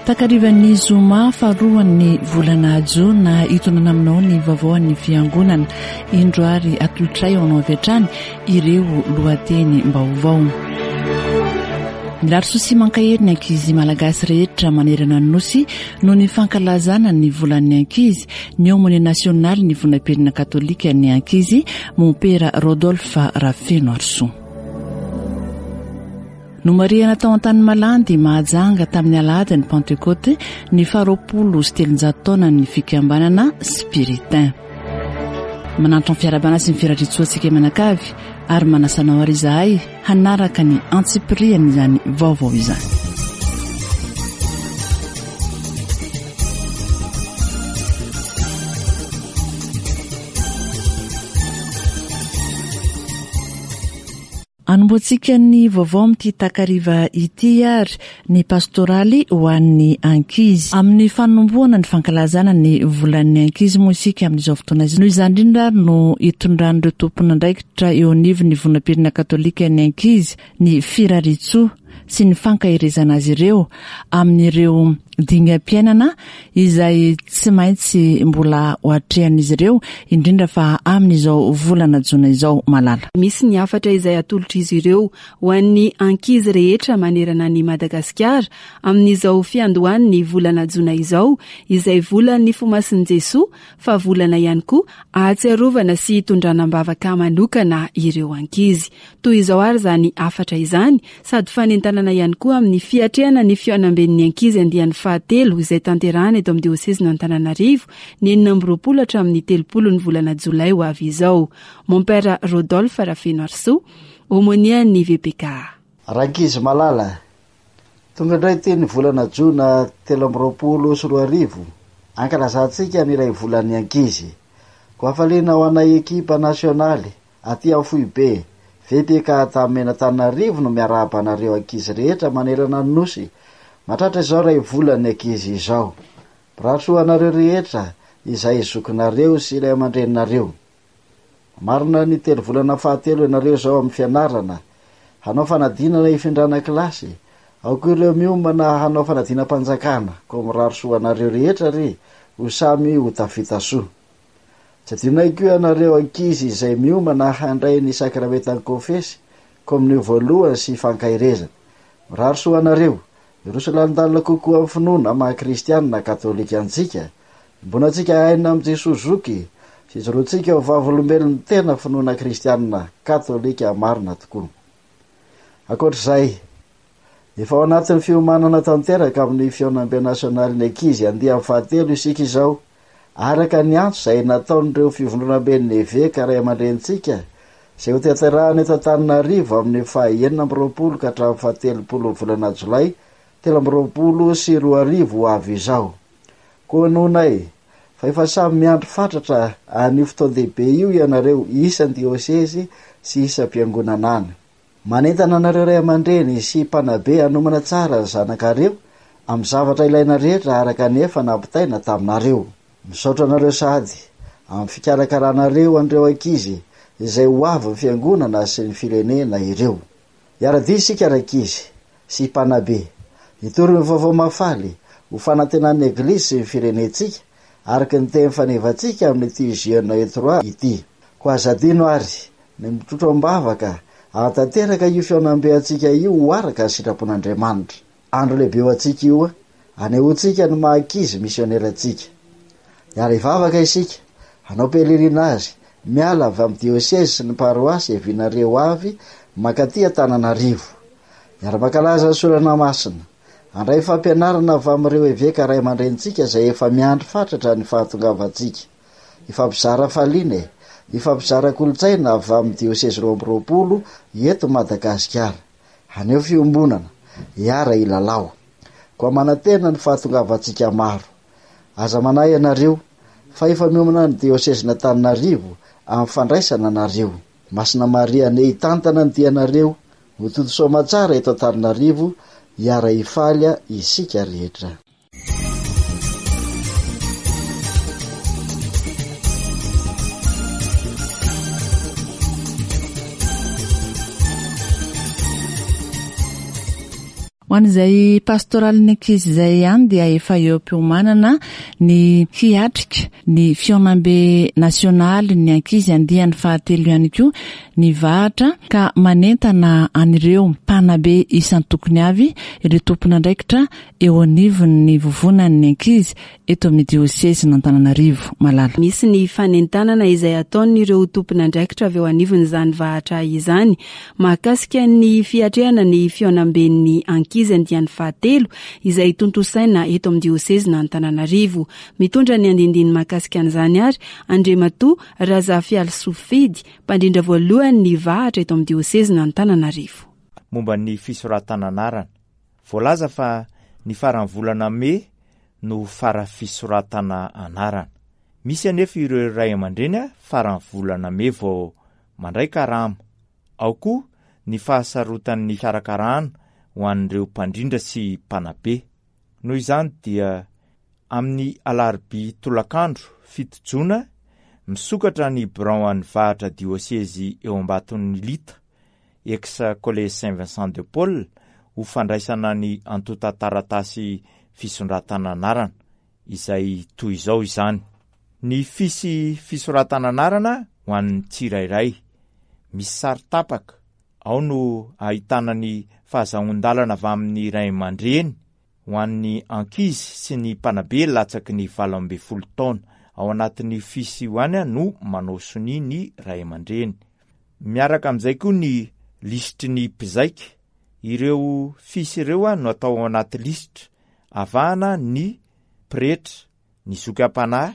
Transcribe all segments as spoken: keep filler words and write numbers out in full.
Takarivan'ny zoma faharoan'ny volana jona, hitonana aminao ny vaovaon'ny fiangonana. Indro ary atolotray ao anao avy hatrany ireo lohateny-baovao. Mirary soa sy mankahery ny ankizy malagasy rehetra manerana ny nosy noho ny fankalazana ny volan'ny ankizy ny aumônier national ny vondrom-pirenena katolika ny ankizy, mompera Rodolphe Rafenoarisoa. Nomarihana tao Antanimalandy Mahajanga tamin'ny alahady ny Pentecôte ny faharoapolo sy telonjato taona ny fikambanana Spiritain. Manantitra ny fiarahabana sy ny firariantsoa antsika manakavy ary manasa anao ary izahay hanaraka ny antsipiriany izany vaovao izany. Anombohantsika ny vaovao amin'ity takariva ity ary ny pastoraly ho an'ny ankizy. Amin'ny fanombohana ny fankalazana ny volan'ny ankizy moa isika amin'izao fotoana izao. Noho izany indrindra ary no hitondran'ireo tompon'andraikitra eo anivon'ny vondrom-pirenena katolika ny ankizy ny firariantsoa sy ny fankaherezana azy ireo amin'ireo dingam-piainana izay tsy maintsy mbola ho atrehan'izy ireo, indrindra fa amin'izao volana jona izao. Malala. Misy ny hafatra izay atolotr'izy ireo ho an'ny ankizy rehetra manerana ny Madagasikara amin'izao fiandohan'ny volana jona izao, izay volan'ny fomasin'i Jesoa, fa volana ihany koa ahatsiarovana sy hitondrana am-bavaka manokana ireo ankizy. Toy izao ary izany hafatra izany, sady fanentanana ihany koa amin'ny fiatrehana ny fihaonamben'ny ankizy andiany fahatelo izay tanterahana eto amin'ny diosezin'Antananarivo ny enina amby roapolo hatramin'ny telopolo ny volana jolay ho avy izao. Mompera Rodolphe Rafenoarisoa, aumônier ny V P K A. Rankizy malala, tonga indray ty ny volana jona telo amby roapolo sy roa arivo, ankalazantsika ny iray volan'ny ankizy. Ko hafaliana ho anay ekipa nasionaly aty amin'ny foibe V P K Antanimena Antananarivo no miarahaba anareo ankizy rehetra manerana ny nosy mahatratra izao ray volan'ny ankizy izao. Mirary soa anareo rehetra izay zokinareo sy ray aman-dreninareo. Marina ny telo volana fahatelo ianareo zao amin'ny fianarana, hanao fanadinana hifindrana kilasy, ao koa ireo miomana hanao fanadinam-panjakana. Ko mirary soa anareo rehetra ry ho samy ho tafita soa. Tsy adinonay koa ianareo ankizy izay miomana handray ny sakramentan'ny konfesy, komonio voalohany sy fankaherezana. Mirary soa anareo hiroso lalindalina kokoa amin'ny finoana maha kristianina katolika antsika, iombonantsika aina amin'i Jesoa zoky sy ijoroantsika ho vavolombelon'ny tena finoana kristianina katolika marina tokoa. Ankoatr'izay, efa ao anatin'ny fiomanana tanteraka amin'ny fihaonambe nasionaly ny ankizy andiany fahatelo isika izao, araka ny antso izay nataon'ireo fivondronamben'ny eveka ray aman-drenintsika, izay ho tanterahana eto Antananarivo amin'ny faha enina amby roapolo ka hatramin'ny fahatelopolo volana jolay telo amby roapolo sy roa arivo ho avy izao. Koa nonay fa efa samy miandry fatratra an'io fotoan-dehibe io ianareo isan-diosezy sy isam-piangonana any. Manentana anareo ray aman-dreny sy mpanabe hanomana tsara ny zanakareo amin'ny zavatra ilaina rehetra araka ny efa nampitaina taminareo. Misaotra anareo sady amin'ny fikarakaranareo an'ireo ankizy izay ho avy ny fiangonana sy ny firenena ireo. Hiara-dia isika rankizy sy mpanabe hitory ny vaovao mahafaly ho fanantenan'ny eglizy sy ny firenentsika, araka ny teny fanevantsika amin'ity Jeunes et trois ity. Koa aza adino ary ny mitrotro am-bavaka ahatanteraka io fihaonambe antsika io ho araka ny sitrapon'Andriamanitra. Andro lehibe ho antsika io, anehoantsika ny maha ankizy misionera antsika. Hiara hivavaka isika, hanao pèlerinage miala avy amin'ny diosezy sy ny paroasy iavianareo avy mankaty Antananarivo. Hiara-mankalaza ny sorana masina, handray fampianarana avy amin'ireo eveka ray aman-drenintsika izay efa miandry fatratra ny fahatongavantsika. Hifampizara hafaliana e, hifampizara kolontsaina avy amin'ny diosezy roa amby roapolo eto Madagasikara. Haneho fiombonana, hiara hilalao. Koa manantena ny fahatongavantsika maro. Aza manahy ianareo fa efa miomana ny diosezin'Antananarivo amin'ny fandraisana anareo. Masina Maria ane hitantana ny dianareo ho tody soa aman-tsara eto Antananarivo, hiara hifaly isika rehetra. Ho an'izay pastoralin'ny ankizy izay ihany dia efa eo am-piomanana ny hiatrika ny fihaonambe nasionaly ny ankizy andiany fahatelo ihany koa ny vahatra ka manentana an'ireo mpanabe isan-tokony avy ireo tompon'andraikitra eo anivon'ny vovonan'ny ankizy eto amin'ny diosezin'Antananarivo. Malala. Misy ny fanentanana izay ataon'ireo tompon'andraikitra avy eo anivon'izany vahatra izany mahakasika ny fiatrehana ny fihaonamben'ny ankizy andiany fahatelo izay tontosaina eto amin'ny diosezin'Antananarivo. Mitondra ny andindiny mahakasika an'izany ary Andriamatoa Razafialisoa Fidy, mpandrindra voalohany ny vahatra eto amin'ny diosezin'Antananarivo. Momba ny fisoratana anarana, voalaza fa ny faran'ny volana mey no fara fisoratana anarana. Misy anefa ireo ray aman-dreny faran'ny volana mey vao mandray karama. Ao koa ny fahasarotan'ny fikarakarana ho an'ireo mpandrindra sy mpanabe. Noho izany dia amin'ny alarobia tolakandro fito jona misokatra ny birao an'ny vahatra diosezy eo Ambaton'ny Lita, ex Collège Saint Vincent de Paul, ho fandraisana ny antontan-taratasy fisoratana anarana, izay toy izao izany. Ny fisy fisoratana anarana ho an'ny tsirairay, misy sary tapaka, ao no ahitana ny fahazahoan-dalana avy amin'ny ray aman-dreny ho an'ny ankizy sy ny mpanabe latsaky ny valo ambin'ny folo taona. Ao anatin'ny fisy io ihany no manao sonia ny ray aman-dreny. Miaraka amin'izay koa ny lisitry ny mpizaika. Ireo fisy ireo no atao ao anaty lisitra. Avahana ny pretra, ny zoky am-panahy,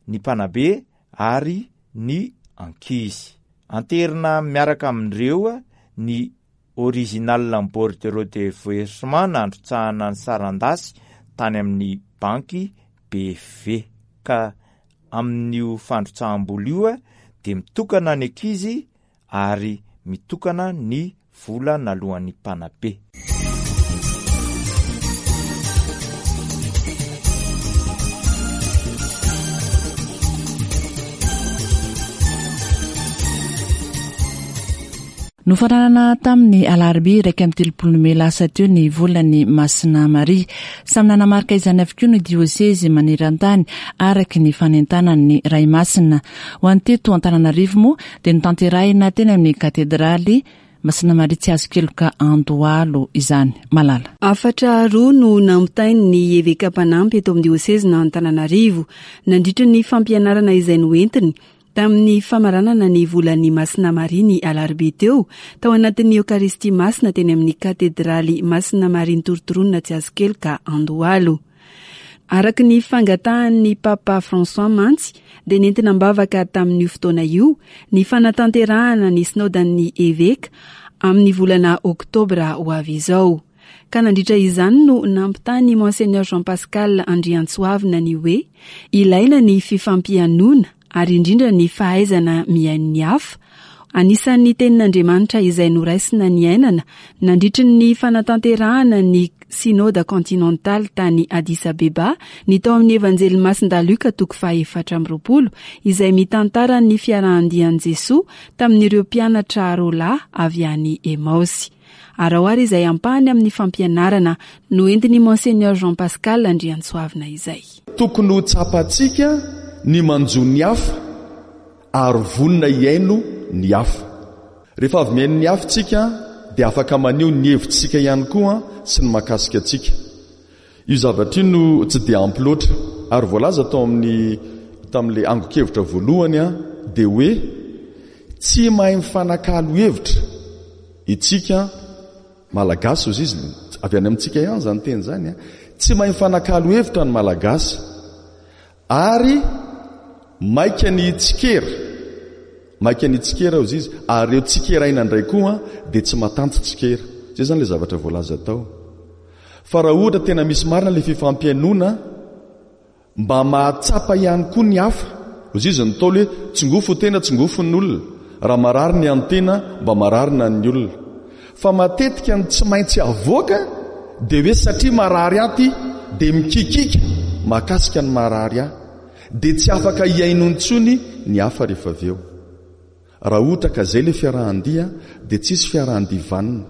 ny mpanabe ary ny ankizy. Anterina miaraka amin'ireo ny original ny bordereau de versement nandrotsahana ny sarandasy tany amin'ny banky B V. Ka amin'io fandrotsaham-bola io dia mitokana ny ankizy ary mitokana ny vola naloan'ny mpanabe. Nofaranana tamin'ny alarobia iraika amby telopolo mey lasa teo ny volan'ny Masina Maria. Samy nanamarika izany avokoa ny diosezy maneran-tany araky ny fanentanan'ny Ray Masina. Ho an'ny teto Antananarivo moa dia notanterahina teny amin'ny katedraly Masina Maria Tsiazokeloka Andohalo izany. Malala. Hafatra roa no nampitain'ny eveka mpanampy eto amin'ny diosezin'Antananarivo nandritra ny fampianarana izay noentiny tamin'ny famaranana ny volan'ny Masina Maria ny alarobia teo, tao anatin'ny Eokaristia Masina teny amin'ny katedraly Masina Maria Ntorotoroana Tsiazokeloka Andohalo. Araka ny fangatahan'ny Papa François mantsy dia nentina am-bavaka tamin'io fotoana io ny fanatanterahana ny sinodan'ny eveka amin'ny volana oktobra ho avy izao. Ka nandritra izany no nampitany Monseigneur Jean Pascal Andriantsoavina ny hoe ilaina ny fifampihainoana ary indrindra ny fahaizana mihaino ny hafa. Anisan'ny tenin'Andriamanitra izay noraisina ny ainana nandritry ny fanatanterahana ny Synoda Continental tany Addis Abeba ny tao amin'ny Evanjely Masindahy Lioka toko fahaefatra amby roapolo izay mitantara ny fiarahan-dian'i Jesoa tamin'ireo mpianatra roa lahy avy any Emaosy. Ary ao ary izay ampahany amin'ny fampianarana noentin'i Monseigneur Jean Pascal Andriantsoavina izay. Tokony ho tsapantsika ny manjo ny hafa ary vonona hihaino ny hafa. Rehefa avy mihaino ny hafa tsika dia afaka maneho ny hevitsika ihany koa sy ny mahakasika antsika. Io zavatra io no tsy dia ampy loatra ary voalaza tao amin'ny tamin'ilay angon-kevitra voalohany a dia hoe tsy mahay mifanakalo hevitra itsika Malagasy hozy izy, avy any amintsika ihany izany teny izany a. Tsy mahay mifanakalo hevitra ny Malagasy ary maika ny tsikera, maika ny tsikera hozy izy, ary ireo tsikeraina indray koa dia tsy matanty tsikera. Izay izany ilay zavatra voalaza tao. Fa raha ohatra tena misy marina ilay fifampihainoana, mba mahatsapa ihany koa ny hafa. Hozy izy ny Ntaolo hoe tsingofo tena, tsingofo ny olona. Raha marary ny an'ny tena, mba marary na ny olona. Fa matetika ny tsy maintsy avoaka dia hoe satria marary ahy ty dia mikikika mahakasika ny marary ahy. Dia tsy afaka hihaino intsony ny hafa rehefa avy eo. Raha ohatra ka izay ilay fiarahan-dia dia tsisy fiarahan-dia vanona.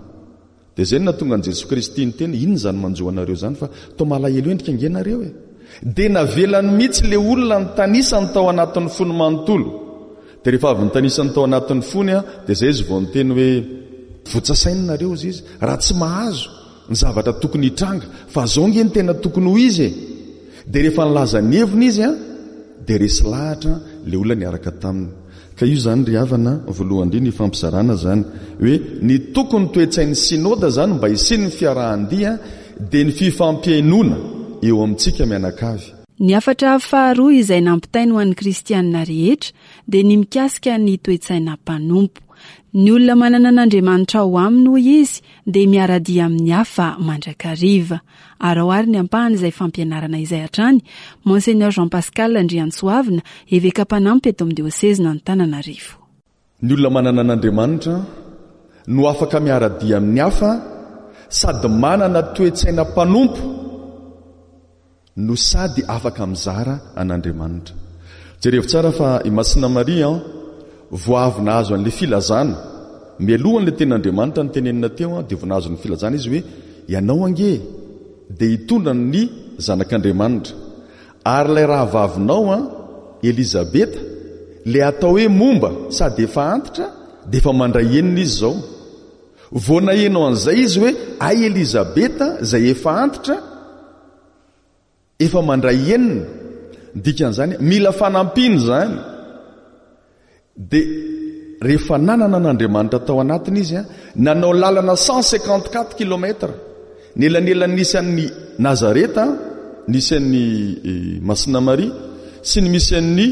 Dia izay no nahatonga an'i Jesoa Kristy niteny, inona izany manjo anareo izany fa toa malahelo endrika ange nareo e. Dia navelany mihitsy ilay olona nitanisany tao anatin'ny fony manontolo. Dia rehefa avy nitanisany tao anatin'ny fony, dia izay izy vao niteny hoe, votsasaina nareo hozy izy, raha tsy mahazo ny zavatra tokony hitranga, fa zao nge ny tena tokony ho izy e. Dia rehefa nilaza ny heviny izy, dia resy lahatra ilay olona niaraka taminy. Ka io izany ry havana, voalohany indrindra ifampizarana izany, hoe ny tokony toe-tsain'ny synoda izany mba hisian'ny fiarahan-dia dia ny fifampihainoana eo amintsika mianakavy. Ny hafatra faharoa izay nampitainy ho an'ny kristianina rehetra dia ny mikasika ny toe-tsaina mpanompo. Ny olona manana an'Andriamanitra ao aminy hoy izy dia miara-dia amin'ny hafa mandrakariva. Ary ao ary ny ampahany izay fampianarana izay hatrany, Monseigneur Jean Pascal Andriantsoavina, eveka mpanampy eto amin'ny diosezina Antananarivo. Ny olona manana an'Andriamanitra no afaka miara-dia amin'ny hafa sady manana toe-tsaina mpanompo no sady afaka mizara an'Andriamanitra. Jerevo tsara fa i Masina Maria vao avy nahazo an'ilay filazana, mialohan'ilay tenin'Andriamanitra nitenenina teo, dia vao nahazo ny filazana izy hoe ianao ange dia hitondra ny zanak'Andriamanitra. Ary ilay rahavavinao Elizabeta, ilay atao hoe momba sady efa antitra, dia efa mandray enina izy izao. Vao naheno an'izay izy hoe ay Elizabeta izay efa antitra, efa mandray enina. Dikan'izany mila fanampiana izany. Dia rehefa nanana an'Andriamanitra tao anatiny izy, nanao lalana cent cinquante-quatre kilomètres. Ny elanelan'ny nisy an'ny Nazareta, nisy an'ny Masina Maria sy ny misy an'ny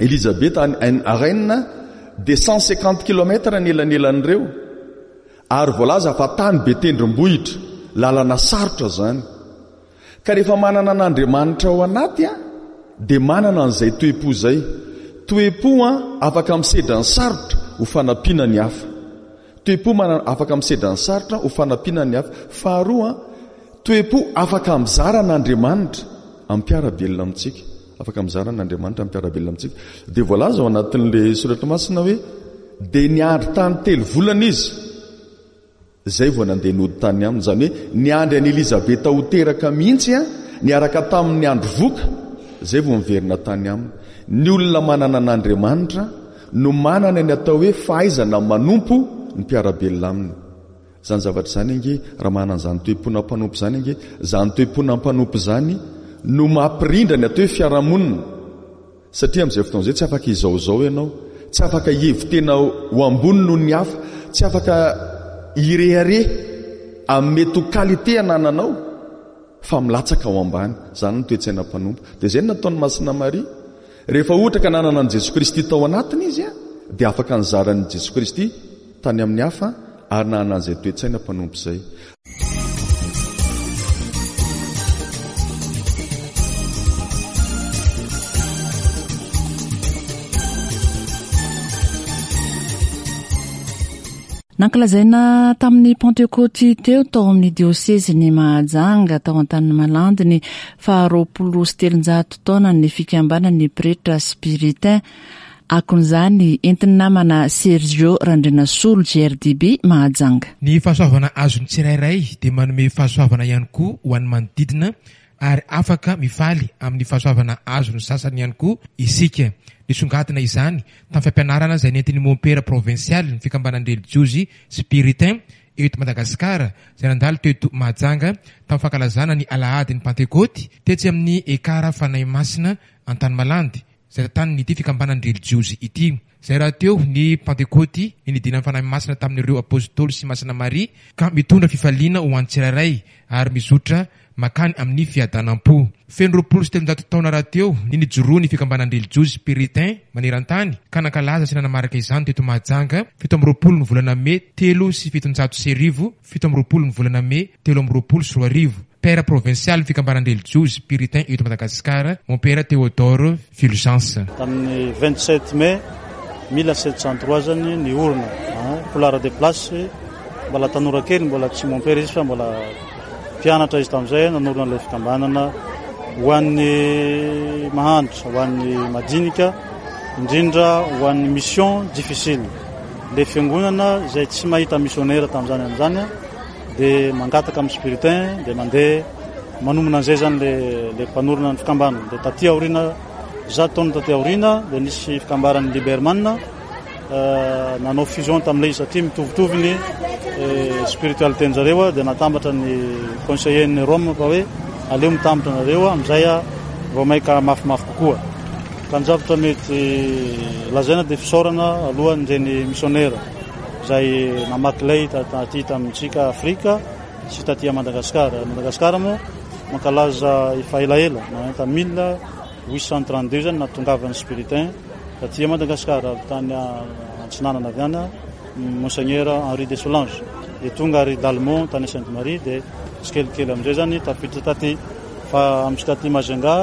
Elizabeta any Rennes, dia cent cinquante kilomètres ny elanelan'ireo. Ary voalaza fa tany be tendrombohitra, lalana sarotra izany. Ka rehefa manana an'Andriamanitra ao anaty, dia manana an'izay toe-po izay. Toe-po afaka misedra ny sarotra ho fanampiana ny hafa. Toe-po manana afaka misedra ny sarotra ho fanampiana ny hafa. Faharoa, toe-po afaka mizara an'Andriamanitra amin'ny mpiara-belona amintsika. Afaka mizara an'Andriamanitra amin'ny mpiara-belona amintsika. Dia voalaza ao anatin'ilay soratra masina hoe dia niandry tany telo volana izy izay vao nandeha nody tany aminy. Izany hoe niandry an'i Elizabeta ho teraka mihitsy, niaraka tamin'ny andro voka, izay vao miverina tany aminy. Ny olona manana an'Andriamanitra no manana ny atao hoe fahaizana manompo ny mpiara-belona aminy. Izany zavatra izany ange, raha manana an'izany toe-pona mpanompo izany ange, izany toe-pona mpanompo izany no mampirindra ny atao hoe fiarahamonina. Satria amin'izay fotoana izay tsy afaka izaozao ianao, tsy afaka hihevi-tena ho ambony noho ny hafa, tsy afaka hirehareha amin'ny mety ho qualité anananao fa milatsaka ao ambany. Izany no toe-tsaina mpanompo. Dia izay no nataon'i Masina Maria. Rehefa ohatra ka nanana an'i Jesoa Kristy tao anatiny izy, dia afaka nizara an'i Jesoa Kristy tany amin'ny hafa ary nanana an'izay toe-tsaina mpanompo izay. Nankalazaina tamin'ny Pentekoty teo tao amin'ny diosezin'i Mahajanga tao Antanimalandy ny faharoapolo sy telonjato taona ny fikambanan'ny pretra spiritain. Akon'izany entin'ny namana Sergio Randrianasolo G R D B Mahajanga. Ny fahasoavana azon'ny tsirairay dia manome fahasoavana ihany koa ho an'ny manodidina ary afaka mifaly amin'ny fahasoavana azon'ny sasany ihany koa isika. Nisongadina izany tamin'ny fampianarana izay nentin'ny mompera provinsialy ny fikambanan'ny relijiozy spiritain eto Madagasikara izay nandalo teto Mahajanga tamin'ny fankalazana ny alahadin'ny Pantekoty tetsy amin'ny Ekara Fanahy Masina Antanimalandy izay tantanin'ity fikambanan'ny relijiozy ity. Izay rahateo ny Pantekoty ny nidinan'ny Fanahy Masina tamin'ireo apôstôly sy Masina Maria ka mitondra fifaliana ho an'ny tsirairay ary mizotra makany amin'ny fiadanam-po. Feno roapolo sy telonjato taona rahateo ny nijoroan'ny fikambanan'ny relijiozy spiritain maneran-tany ka nankalaza sy nanamarika izany teto Mahajanga fito amby roapolo ny volana mey telo sy fitonjato sy arivo, fito amby roapolo ny volana mey telo amby roapolo sy roa arivo. Père provincial fikambanan'ny relijiozy spiritain eto Madagasikara, Mompera Théodore Fulgence. Tamin'ny vingt-sept mai mille sept cent trois zany ny orina, Poullart des Places, mbola tanora kely, mbola tsy mompera izy fa mbola mpianatra izy tamin'izay, nanorina ilay fikambanana ho an'ny mahantra, ho an'ny madinika, indrindra ho an'ny mission difficile. Le fiangonana izay tsy mahita missionnaire tamin'izany amin'izany dia mangataka amin'ny spiritain dia mandeha manomana an'izay zany le le mpanorina ny fikambanana. Dia taty aoriana, zato taona taty aoriana, dia nisy fikambaran'ny Liberman nanao fusion tamin'ilay izy satria mitovitovy ny spiritualité zareo, dia natambatra ny conseiller ny Rome fa hoe aleo mitambatra nareo amin'izay vao maika mafimafy kokoa. Ka ny zavatra mety lazaina dia fisaorana alohan'ireny missionnaire izay namaky lay taty tamintsika Afrika sy taty Madagasikara. Madagasikara moa mankalaza efa elaela, nanomboka mille huit cent trente-deux zany nahatongavan'ny spiritain taty Madagasikara, avy tany Antsinanana avy any Monseigneur Henri de Solange, dia tonga ary d'Allemand tany Sainte Marie, dia tsikelikely amin'izay zany tafiditra taty. Fa amintsika taty Majunga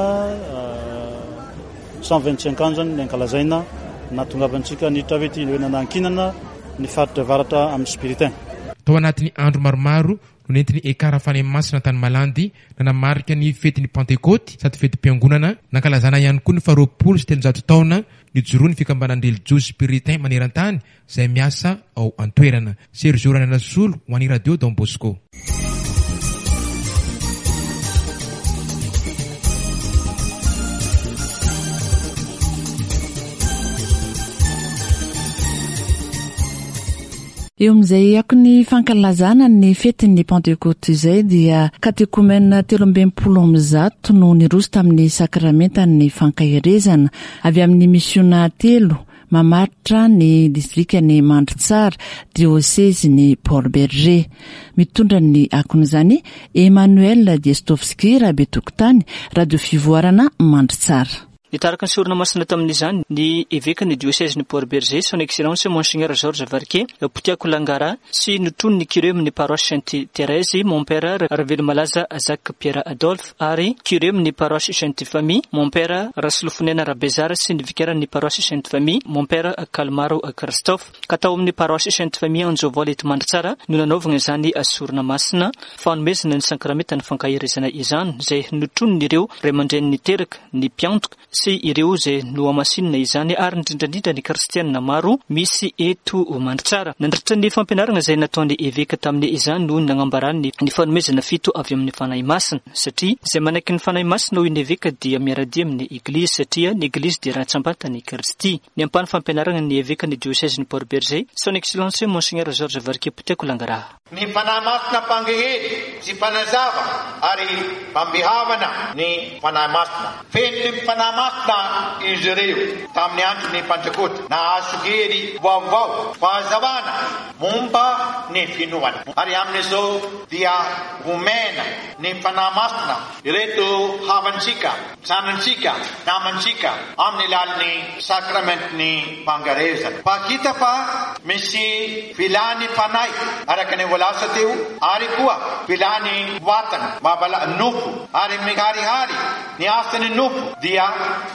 cent vingt-cinq ans zany ny ankalazaina nahatongavantsika niditra avy ety, hoe nanankinana ny faritra avaratra amin'ny spiritain. Tao anatin'ny andro maromaro no nentin'ny Ekara Fanahy Masina tany Malandy nanamarika ny fetin'ny Pantekôty sady fetim-piangonana, nankalazana ihany koa ny faharoapolo sy telonjato taona nijoroan'ny fikambanan'ny relijiozy spiritain maneran-tany izay miasa ao an-toerana. Sergio Randrianasolo ho an'ny Radio Don Bosco. Eo amin'izay akony fankalazana ny fetin'ny Pantekôty izay dia katekomena telo amby enimpolo amby zato no niroso tamin'ny sakramentan'ny fankaherezana avy amin'ny misiona telo mamaritra ny distrikan'i Mandritsara, diosezin'i Port-Bergé. Mitondra ny akon'izany Emmanuel Diestovski, Rabetokotany, Radio Fivoarana Mandritsara. Nitarika ny sorona masina tamin'izany ny evekan'ny diosezin'i Port-Bergé, son excellence Monseigneur Georges Varquet Potiako Langara, sy notron'ny curé amin'ny paroisse Sainte Thérèse, mon père Ravelomalaza Jacques Pierre Adolphe, ary curé amin'ny paroisse Sainte Famille, mon père Rasolofonena Rabezara, sy ny vikaran'ny paroisse Sainte Famille, mon père Kalmaro Christophe. Ka tao amin'ny paroisse Sainte Famille Anjovola eto Mandritsara no nanaovana izany sorona masina fanomezana ny sakramentan'ny fankaherezana izany, izay notronon'ireo ray aman-dreny niteraka, ny mpiantoka sy ireo izay nohamasinina izany, ary indrindra indrindra ny kristianina maro misy eto Mandritsara. Nandritra ny fampianarana izay nataon'ny eveka tamin'ny izany no nanambarany ny fanomezana fito avy amin'ny Fanahy Masina, satria izay manaiky ny Fanahy Masina hoy ny eveka dia miara-dia amin'ny Eglizy, satria ny Eglizy dia rantsambatan'i Kristy. Ny ampahany fampianarana ny eveka ny diosezin'i Port-Bergé, son excellence Monseigneur Georges Varquet Potiako Langara. Ny Fanahy Masina mpangehery sy mpanazava ary mpampihavana ny Fanahy Masina. Feno ny Fanahy Masina izy ireo tamin'ny andron'ny Pantekôty, nahazo hery vaovao, fahazavana momba ny finoana. Ary amin'izao dia omena ny Fanahy Masina ireto havantsika, zanantsika, namantsika amin'ny alalan'ny sakramentin'ny fangarezana. Fa hita fa misy filàn'ny fanahy araka ny voalaza teo, ary koa filàn'ny vatana, mampala nofo, ary miharihary ny asan'ny nofo dia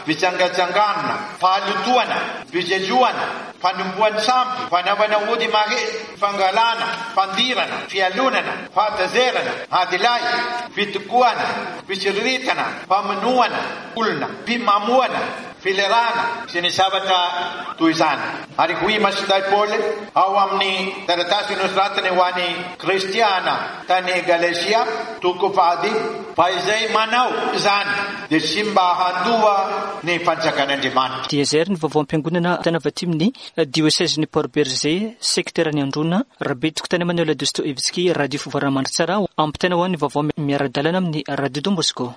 fitsangatsanganana, fahalotoana, fijejoana, fanompoan-tsampy, fanaovana ody mahery, fangalana, fandirana, fialonana, fahatezerana, adilahy, fitokoana, fitsiriritana, famonoana olona, fimamoana, filerana sy ny zavatra toy izany. Ary hoy Masindahy Paoly ao amin'ny taratasy nosoratany ho an'ny kristiana tany Galatia toko fahadimy, fa izay manao izany dia tsy mba handoa ny fanjakan'Andriamanitra. Dia izay ary ny vaovao am-piangonana tany avy aty amin'ny diosezin'i Port-Bergé, sekteran'i Androna, Rabetokotany Emmanuel Dostoevsky, Radio Fivoarana Mandritsara, ampitaina ho an'ny vaovao miara-dalana amin'ny Radio Don Bosco.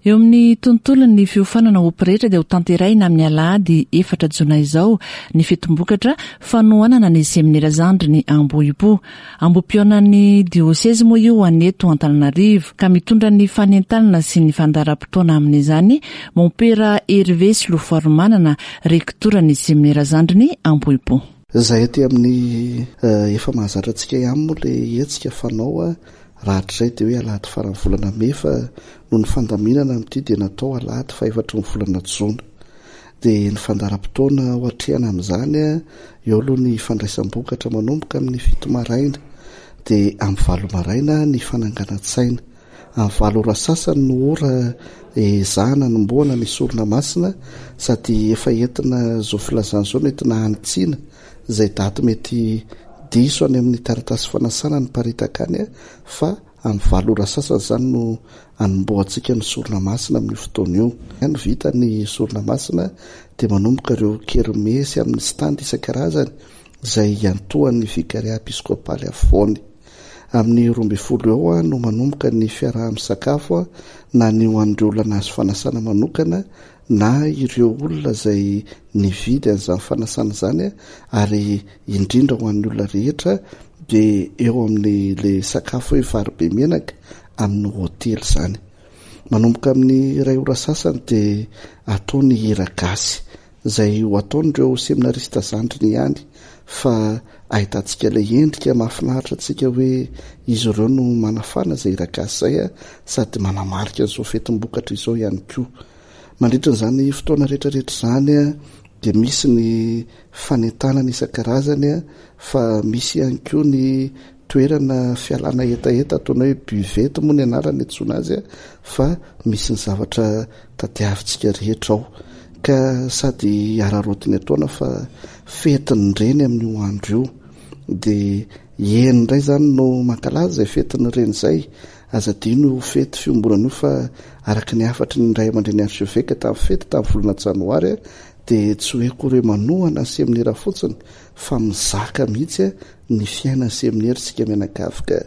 Eo amin'ny tontolon'ny fiofanana ho pretra dia ho tanterahina amin'ny alahady efatra jona izao ny fetombokatra fanohanana ny seminera zandriny Ambohipo. Ambohipihaonan'ny diosezy moa io any eto Antananarivo, ka mitondra ny fanentanana sy ny fandaharam-potoana amin'izany Mompera Hervé Solofoarimanana, rektoran'ny seminera zandriny Ambohipo. Izay aty amin'ny efa mahazatra antsika ihany moa ilay hetsika fanao raha hatrizay dia hoe alahady faran'ny volana mey, fa noho ny fandaminana amin'ity dia natao alahady fahefatry ny volana jona. Dia ny fandaharam-potoana ho atrehana amin'izany, eo aloha ny fandraisam-bokatra manomboka amin'ny fito maraina, dia amin'ny valo maraina ny fananganan-tsaina. Amin'ny valo ora sasany no ora ezahana hanombohana ny sorona masina, sady efa entina izao filazana izao no entina hanitsiana izay daty mety diso any amin'ny taratasy fanasana niparitaka any, fa amin'ny valo ora sasany izany no hanombohantsika ny sorona masina amin'io fotoana io. Any vita ny sorona masina dia manomboka ireo kermesy amin'ny stand isan-karazany izay iantohan'ny vikaria episkopaly afovoany. Amin'ny roa ambin'ny folo eo no manomboka ny fiaraha-misakafo na ny ho an'ireo olona nahazo fanasana manokana na ireo olona izay nividy an'izany fanasana izany, ary indrindra ho an'ny olona rehetra dia eo amin'ny le sakafo hoe vary be menaka amin'ny hotely izany. Manomboka amin'ny iray ora sasany dia atao ny hira gasy izay ho ataon'ireo seminarista zandriny ihany, fa ahitantsika ilay endrika mahafinaritra antsika hoe izy ireo no manafana izay hira gasy izay, sady manamarika an'izao fetim-bokatra izao ihany koa. Mandritra izany fotoana rehetrarehetra izany dia misy ny fanentanana isan-karazany, fa misy ihany koa ny toerana fialana hetaheta ataona hoe buvette moa ny anarany antsoina azy, fa misy ny zavatra tadiavintsika rehetra ao. Ka sady araraotiny ataona fa fetin'ny reny amin'io andro io, dia eny indray izany no mankalaza izay fetin'ny reny izay. Aza adino io fety fiombonana io, fa araka ny hafatry ny ray aman-dreny archevêque tamin'ny fety tamin'ny volana janoary dia tsy hoe akory hoe manohana ny seminera fotsiny fa mizaka mihitsy ny fiainan'ny seminera isika mianakavy, ka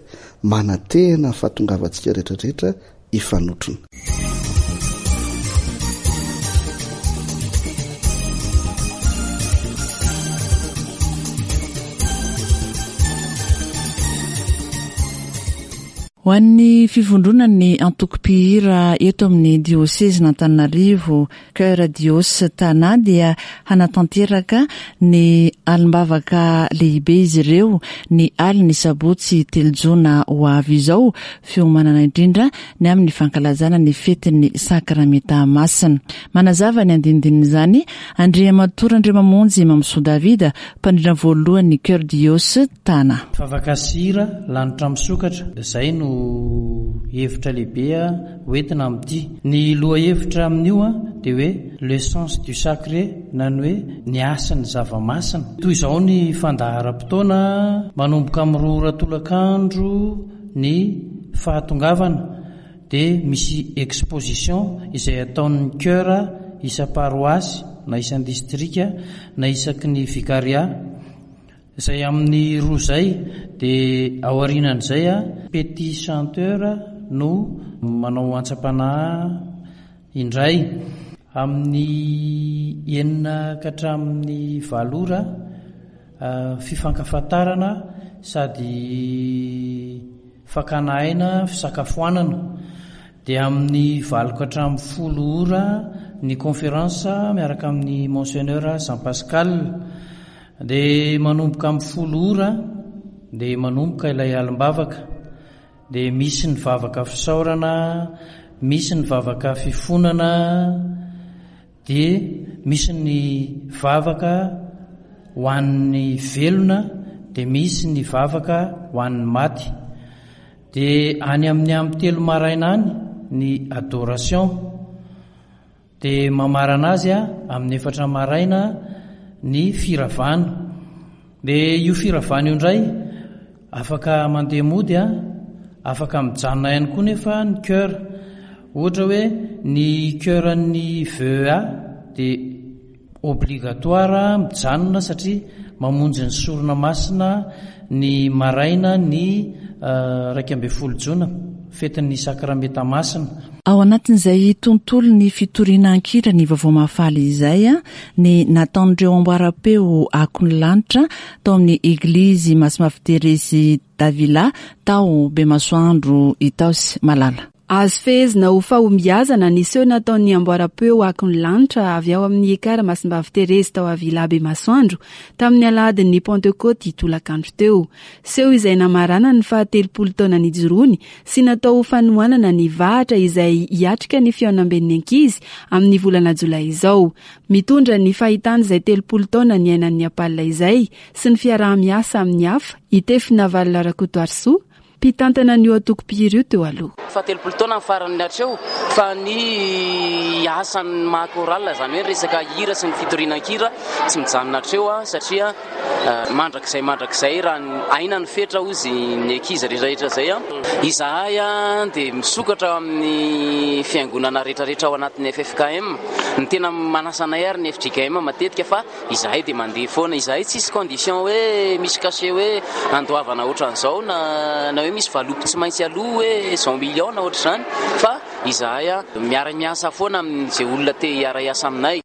manantena ny fahatongavantsika rehetrarehetra hifanotrona. Ho an'ny fivondronan'ny antoko-mpihira eto amin'ny diosezin'Antananarivo, Chœur Dios Tana, dia hanatanteraka ny alim-bavaka lehibe izy ireo ny alin'ny sabotsy telo jona ho avy izao, fiomanana indrindra ny amin'ny fankalazana ny fetin'ny sakramenta masina. Manazava ny andinindin'izany Andriamatoa Randriamamonjy Mamisoa Davida, mpandrindra voalohan'ny Chœur Dios Tana. Vavaka sy hira, lanitra misokatra, izay no hevitra lehibe hoentina amin'ity. Ny lohahevitra amin'io dia hoe le sens du sacré, na ny hoe ny hasin'ny zava-masina. Toy izao ny fandaharam-potoana, manomboka amin'ny roa ora tolakandro ny fahatongavana, dia misy exposition izay ataon'ny chœur isam-paroasy na isan-distrika na isaky ny vicariat. Izay amin'ny roa izay, dia aorianan'izay petit chanteur no manao antsam-panahy indray. Amin'ny enina ka hatramin'ny valo ora, fifankafantarana sady fakana aina fisakafoanana. Dia amin'ny valo ka hatramin'ny folo ora ny conférence miaraka amin'ny Monseigneur Jean Pascal. Dia manomboka amin'ny folo ora dia manomboka ilay alim-bavaka. Dia misy ny vavaka fisaorana, misy ny vavaka fifonana, dia misy ny vavaka ho an'ny velona, dia misy ny vavaka ho an'ny maty. Dia any amin'ny amin'ny telo maraina any ny adoration. Dia mamarana azy amin'ny efatra maraina ny firavana. Dia io firavana io indray afaka mandeha mody, afaka mijanona ihany koa nefa ny chœur. Ohatra hoe ny chœur an'ny V E A dia obligatoire mijanona satria mamonjy ny sorona masina ny maraina ny iraika ambin'ny folo jona, fetin'ny sakramenta masina. Ao anatin'izay tontolo ny fitoriana ankira ny vaovao mahafaly izay, ny nataon'ireo amboaram-peo akon'ny lanitra tao amin'ny eglizy Masimafy Teresy Davila tao Bemasoandro Itaosy Malala. Azo fehezina ho fahombiazana ny seho nataon'ny amboaram-peo Akon'ny Lanitra avy ao amin'ny Ekara Masimbavy Terezy tao Avila Bemasoandro tamin'ny alahadin'ny Pantekoty tolakandro teo. Seho izay namarana ny fahatelopolo taona nijoroany sy natao ho fanohanana ny vahatra izay hiatrika ny fihaonamben'ny ankizy amin'ny volana jolay izao. Mitondra ny fahitana izay telopolo taona niainan'ny APAL izay sy ny fiaraha-miasa amin'ny hafa i Tefy Navalona Rakotoarisoa, mpitantana ny antoko mpihira io teo aloha. Fahatelopolo taona ny farany hatreo fa ny asan'ny maha chorale, izany hoe resaka hira sy ny fitoriana an-kira tsy mijanona hatreo satria mandrakizay mandrakizay raha ny aina ny fetra hozy ny ankizy rehetrarehetra izay. Izahay dia misokatra amin'ny fiangonana rehetrarehetra ao anatin'ny F F K M. Ny tena manasa anay ary ny F J K M matetika fa izahay dia mandeha foana. Izahay tsisy condition hoe misy cachet hoe andoavana ohatran'izao na, na hoe misy valopy tsy maintsy aloha hoe cent millions na ohatr'izany, fa izahay miara-miasa foana amin'izay olona te hiara-hiasa aminay.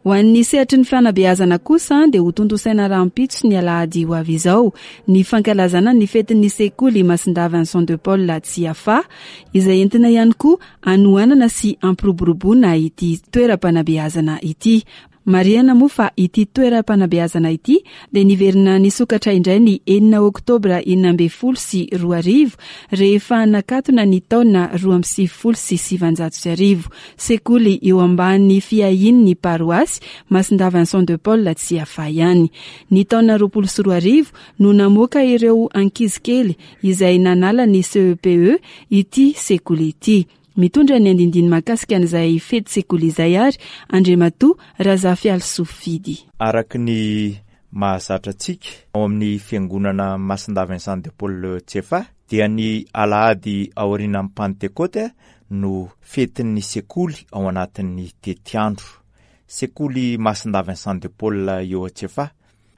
Ho an'ny sehatry ny fanabeazana kosa dia ho tontosaina rahampitso ny alahady ho avy izao ny fankalazana ny fetin'ny sekoly Masindahy Vincent de Paul Tsiafahy, izay entina ihany koa hanohanana sy hampiroboroboana ity toeram-panabeazana ity. Marihana moa fa ity toeram-panabeazana ity dia niverina nisokatra indray ny enina oktobra enina ambin'ny folo sy roa arivo rehefa nakatona ny taona roa amby sivifolo sy sivanjato sy arivo. Sekoly eo ambany fiahian'ny paroasy Masindahy Vincent de Paul Tsiafahy ihany. Ny taona roapolo sy roa arivo no namoaka ireo ankizy kely izay nanala ny C E P E ity sekoly ity. Mitondra ny andindiny mahakasika an'izay fety sekoly izay ary Andriamatoa Razafialisoa Fidy. Araka ny mahazatra antsika ao amin'ny fiangonana Masindahy Vincent de Paul Tsiafahy dia ny alahady aorian'ny Pantekoty no fetin'ny sekoly ao anatin'ny tetiandro. Sekoly Masindahy Vincent de Paul eo Tsiafahy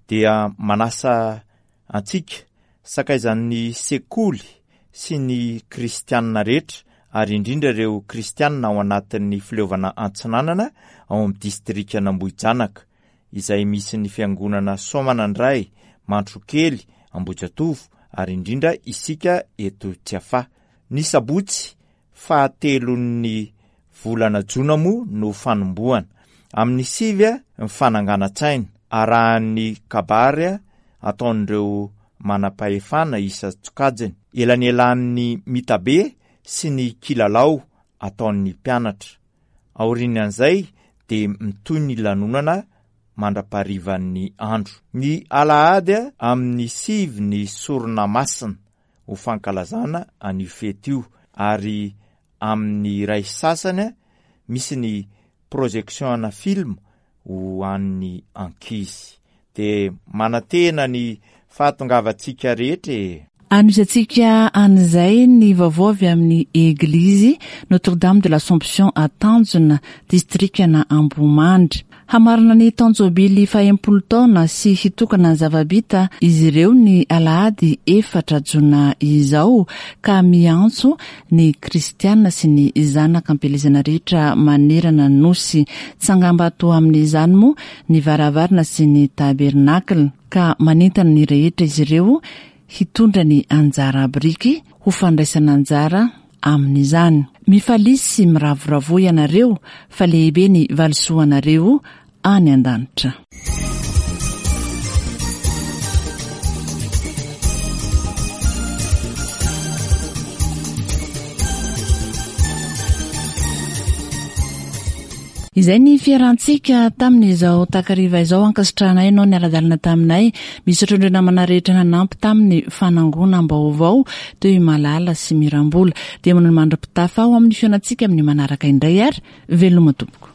dia manasa antsika sakaizan'ny sekoly sy ny kristianina rehetra ary indrindra ireo kristianina ao anatin'ny fileovana Antsinanana ao amin'ny distrikan'Ambohijanaka izay misy ny fiangonana Soamanandray, Mantrokely, Ambohijatovo ary indrindra isika eto Tsiafahy. Ny sabotsy fahatelon'ny volana jona moa no fanombohana. Amin'ny sivy ny fananganan-tsaina arahan'ny kabary ataon'ireo manam-pahefana isan-tsokajiny, elanelan'ny mitabe sy ny kilalao ataon'ny mpianatra. Aorian'izay dia mitohy ny lanonana mandra-paharivan'ny andro. Ny alahady amin'ny sivy ny sorona masina ho fankalazana an'io fety io, ary amin'ny iray sasany misy ny projection ana film ho an'ny ankizy. Dia manantena ny fahatongavantsika rehetra e. Anohizantsika an'izay ny vaovao avy amin'ny Eglizy Notre-Dame de l'Assomption à Tanjona, distrikana Ambohimandry. Hamarana ny taon-jobily fahenimpolo taona sy hitokana ny zava-bita izy ireo ny alahady efatra jona izao, ka miantso ny kristiana sy ny zanaka am-pielezana rehetra manerana ny nosy. Tsangambato amin'izany moa ny varavarana sy ny tabernakla, ka manentana ny rehetra izy ireo hitondra ny anjara biriky ho fandraisana anjara amin'izany. Mifalia sy miravoravoa ianareo fa lehibe ny valisoanareo any an-danitra. Izay ny fiarantsika tamin'izao takariva izao, ankasitrahanay ianao niara-dalana taminay. Misaotra indrindra namana rehetra nanampy tamin'ny fanangonam-baovao teo i Malala sy Mirambola. Dia manao ny mandra-pitafa ho amin'ny fihaonantsika amin'ny manaraka indray ary veloma tompoko.